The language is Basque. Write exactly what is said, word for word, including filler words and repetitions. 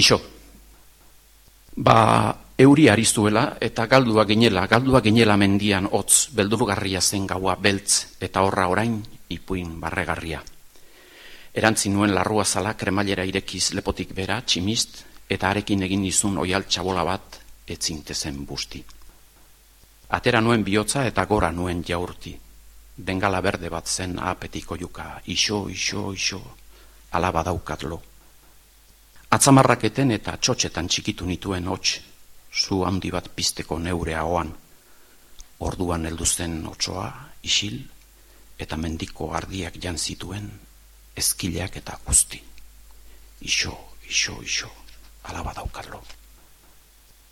Ixo. Ba, euri arizuela eta galdua ginela, galdua ginela mendian hotz, beldurgarria zen gaua beltz eta horra orain ipuin barregarria. Erantzi nuen larrua zala kremailera irekiz lepotik bera, tximist, eta arekin egin nizun oial txabola bat etzintezen busti. Atera nuen bihotza eta gora nuen jaurti. Bengala berde bat zen apetiko juka, iso, iso, iso, alaba daukatlo. Atzamarraketen eta txotxetan txikitu nituen hots, zu handi bat pizteko neure ahoan. Orduan heldu zen otsoa, isil, eta mendiko ardiak jan zituen, ezkileak eta guzti. Iso, iso, iso, alaba daukatlo.